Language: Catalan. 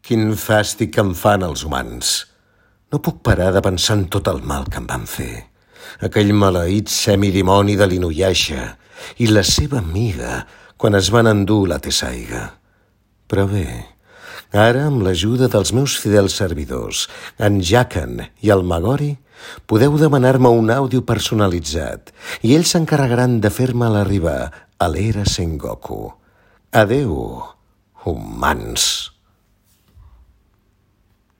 Quin fàstic que em fan els humans. No puc parar de pensar en tot el mal que em van fer. Aquell maleït semidimoni de l'Inuyasha i la seva amiga quan es van endur la Tessaiga. Però bé, ara, amb l'ajuda dels meus fidels servidors, en Jaken i el Magori, podeu demanar-me un àudio personalitzat i ells s'encarregaran de fer-me'l arribar a l'era Sengoku. Adeu, humans.